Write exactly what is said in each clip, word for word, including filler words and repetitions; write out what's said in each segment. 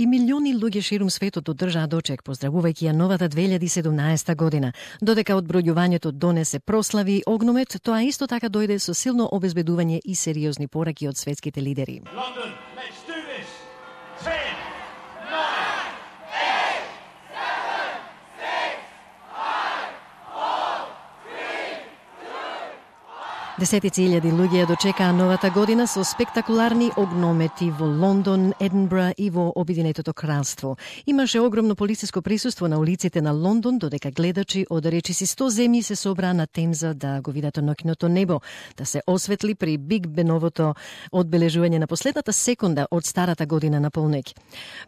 милиони луѓе ширум светот одржаа дочек, поздравувајќи ја новата две илјади и седумнаесета година. Додека одбројувањето донесе прослави огномет, тоа исто така дојде со силно обезбедување и сериозни пораки од светските лидери. London, let's do this. ten, nine, Десетици илјади луѓе ја дочекаа новата година со спектакуларни огномети во Лондон, Единбра и во Обединетото кралство. Имаше огромно полициско присуство на улиците на Лондон, додека гледачи од речиси сто земји се собраа на Темза да го видат ноќното небо, да се осветли при Биг Беновото одбележување на последната секунда од старата година на полноќ.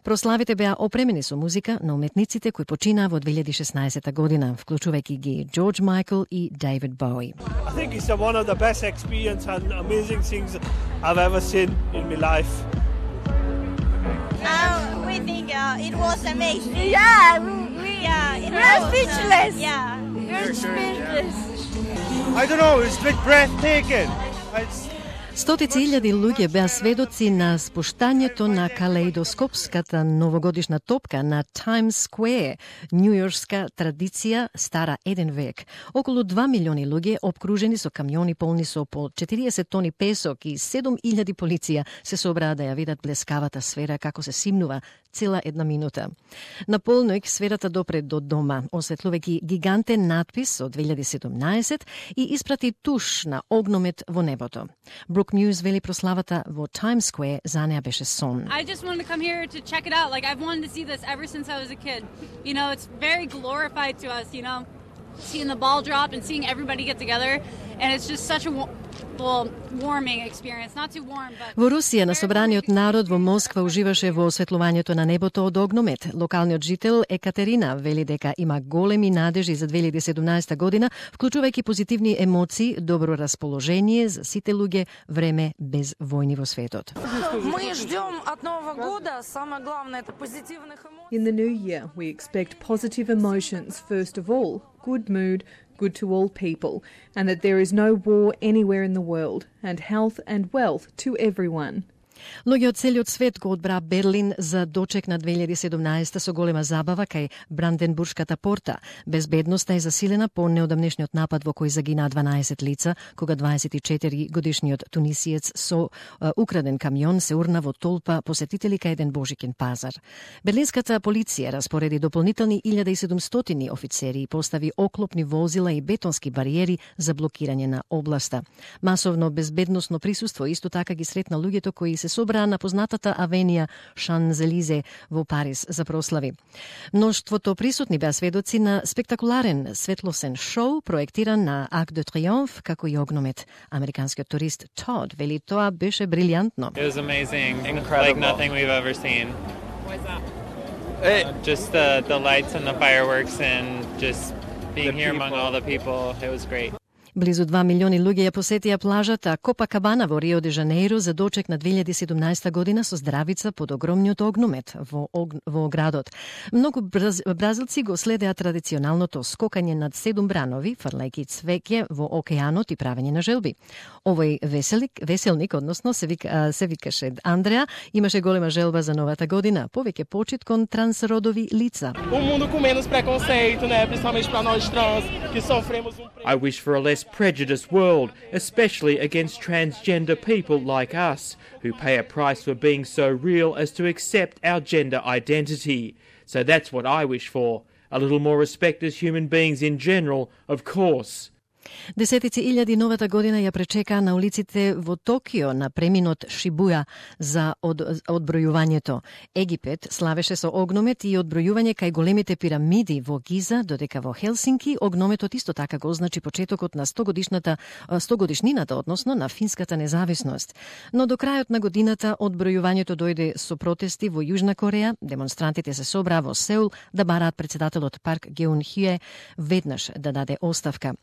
Прославите беа опремени со музика на уметниците кои починаа во две илјади и шеснаесета година, вклучувајќи ги Джордж Майкл и Дейвид Боуи. I think it's one of the best experience and amazing things I've ever seen in my life. Uh, we think uh, it was amazing. Yeah, we, we, Yeah, it we're was, speechless. Uh, yeah. We're speechless. I don't know, it's a bit breathtaking. It's Стотици илјади луѓе беа сведоци на спуштањето на калеидоскопската новогодишна топка на Times Square, њујоршка традиција стара еден век. Околу два милиони луѓе, обкружени со камиони полни со по четириесет тони песок и седум илјади полиција, се собраа да ја видат блескавата сфера како се симнува цела една минута. На полноќ сферата допре до дома, осветлувајќи гигантен надпис од две илјади и седумнаесет и испрати туш на огномет во небото. Brooke Muse вели прославата во Times Square за неа беше сон. I just wanted to come here to check it out. Like, I've wanted to see this ever since I was a kid. You know, it's very glorified to us, you know, seeing the ball drop and seeing everybody get together. And it's just such a well, warming experience. Not too warm, but... Во Русија на собраниот народ во Москва уживаше во осветлувањето на небото од огномет. Локалниот жител Екатерина вели дека има големи надежи за две илјади и седумнаесета година, вклучувајќи позитивни емоции, добро расположение за сите луѓе, време без војни во светот. Мы ждем от Нового года, самое главное, это позитивных эмоций. In the new year, we expect positive emotions, first of all, good mood, good to all people, and that there is no war anywhere in the world, and health and wealth to everyone. Луѓе од целиот свет го одбраа Берлин за дочек на две илјади и седумнаесета со голема забава кај Бранденбуршката порта. Безбедноста е засилена по неодамнешниот напад во кој загинаа дванаесет лица, кога дваесет и четири годишниот тунисиец со uh, украден камион се урна во толпа посетители кај еден божикен пазар. Берлинската полиција распореди дополнителни илјада и седумстотини офицери и постави оклопни возила и бетонски бариери за блокирање на областа. Масовно безбедносно присуство исто така ги сретна луѓето кои се собраа на познатата авенија Шанзелизе во Париз за прослави. Мноштвото присутни беа сведоци на спектакуларен светлосен шоу проектиран на Арк де Триомф како и огномет. Американскиот турист Тод вели тоа беше брилјантно. It was amazing, incredible, like nothing we've ever seen. What is that? Uh, just the the lights and the fireworks and just being The here among people. all the people. It was great. Близу два милиони луѓе ја посетија плажата Копакабана во Рио де Жанеиро за дочек на две илјади и седумнаесета година со здравица под огромниот огномет во, ог... во градот. Многу браз... бразилци го следеа традиционалното скокање над седум бранови, фрлајќи цвеќе во океанот и правење на желби. Овој веселик, веселник, односно се, вика, се викаше Андреа, имаше голема желба за новата година, повеќе почит кон трансродови лица. Um mundo com menos preconceito, né, principalmente para nós trans, que sofremos um I wish for a less prejudiced world, especially against transgender people like us, who pay a price for being so real as to accept our gender identity. So that's what I wish for. A little more respect as human beings in general, of course. Десетици илјади новата година ја пречекаа на улиците во Токио на преминот Шибуја за од, одбројувањето. Египет славеше со огномет и одбројување кај големите пирамиди во Гиза, додека во Хелсинки огнометот исто така го означи почетокот на сто годишната сто годишнината, односно на финската независност. Но до крајот на годината одбројувањето дојде со протести во Јужна Кореја. Демонстрантите се собраа во Сеул да бараат председателот Парк Геун Хје веднаш да даде оставка.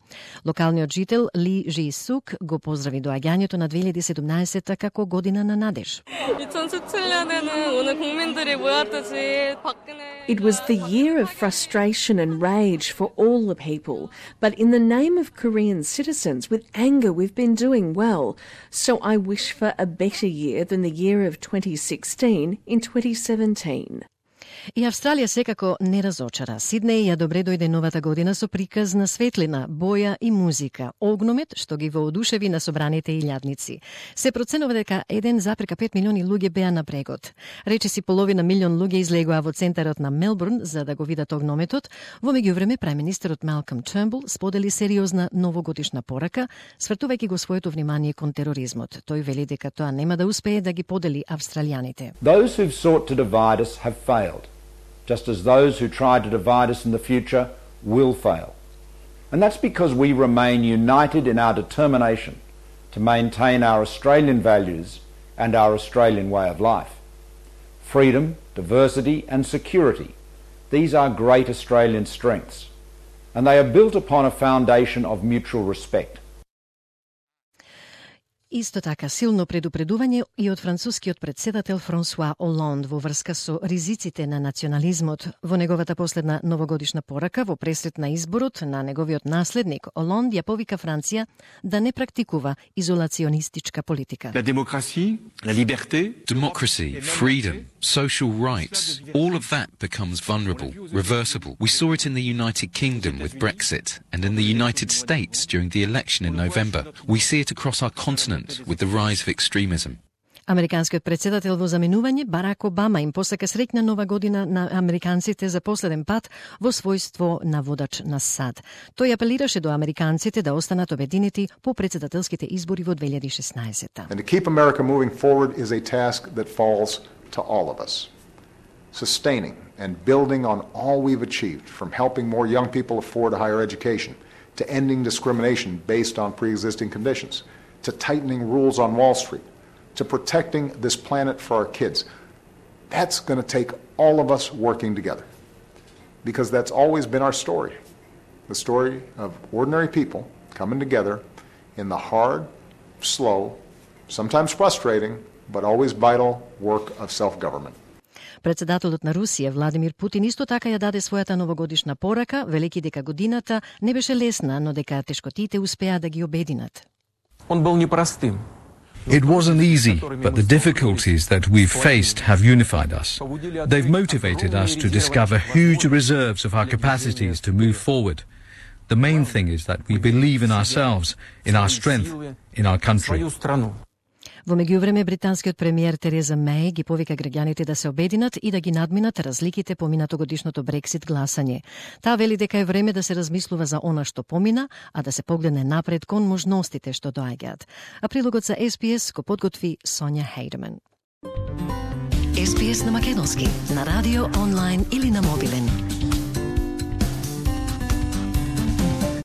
Локалниот жител Ли Жи Сук го поздрави доаѓањето на две илјади и седумнаесетта како година на надеж. It was the year of frustration and rage for all the people, but in the name of Korean citizens, with anger we've been doing well. So I wish for a better year than the year of twenty sixteen in twenty seventeen. И Австралија секако не разочара. Сиднеј ја добре дојде новата година со приказ на светлина, боја и музика. Огномет што ги воодушеви на собраните илјадници. Се проценува дека еден запрека пет милиони луѓе беа на брегот. Речиси половина милион луѓе излегоа во центарот на Мелбурн за да го видат огнометот. Во меѓувреме преминистерот Малком Тернбул сподели сериозна новогодишна порака, свртувајќи го своето внимание кон тероризмот. Тој вели дека тоа нема да успее да ги подели австралијаните. Those who've sought to divide us have failed. Just as those who try to divide us in the future will fail. And that's because we remain united in our determination to maintain our Australian values and our Australian way of life. Freedom, diversity and security, these are great Australian strengths, and they are built upon a foundation of mutual respect. Исто така силно предупредување и од францускиот председател Франсуа Олонд во врска со ризиците на национализмот. Во неговата последна новогодишна порака во пресрет на изборот на неговиот наследник, Олонд ја повика Франција да не практикува изолационистичка политика. La démocratie, la liberté, democracy, freedom, social rights, all of that becomes vulnerable, reversible. We saw it in the United Kingdom with Brexit and in the United States during the election in November. We see it across our continent with the rise of extremism. Американскиот председател во заменување Барак Обама им посака среќна нова година на американците за последен пат во својство на водач на САД. Тој апелираше до американците да останат обединети по председателските избори во две илјади и шеснаесетта. And to keep America moving forward is a task that falls to all of us. Sustaining and building on all we've achieved, from helping more young people afford a higher education, to ending discrimination based on pre-existing conditions, to tightening rules on Wall Street, to protecting this planet for our kids. That's going to take all of us working together, because that's always been our story. The story of ordinary people coming together in the hard, slow, sometimes frustrating, but always vital work of self-government. Председателот на Русија Владимир Путин исто така ја даде својата новогодишна порака, велики дека годината не беше лесна, но дека тешкотите успеа да ги обединат. Он был непростым. It wasn't easy, but the difficulties that we've faced have unified us. They've motivated us to discover huge reserves of our capacities to move forward. The main thing is that we believe in ourselves, in our strength, in our country. Во меѓувреме, британскиот премиер Тереза Меј ги повика граѓаните да се обединат и да ги надминат разликите по минатогодишното Брексит гласање. Таа вели дека е време да се размислува за она што помина, а да се погледне напред кон можностите што доаѓаат. А прилогот за Ес Би Ес го подготви Сонја Хейдеман. Ес Би Ес на македонски, на радио, онлайн или на мобилен.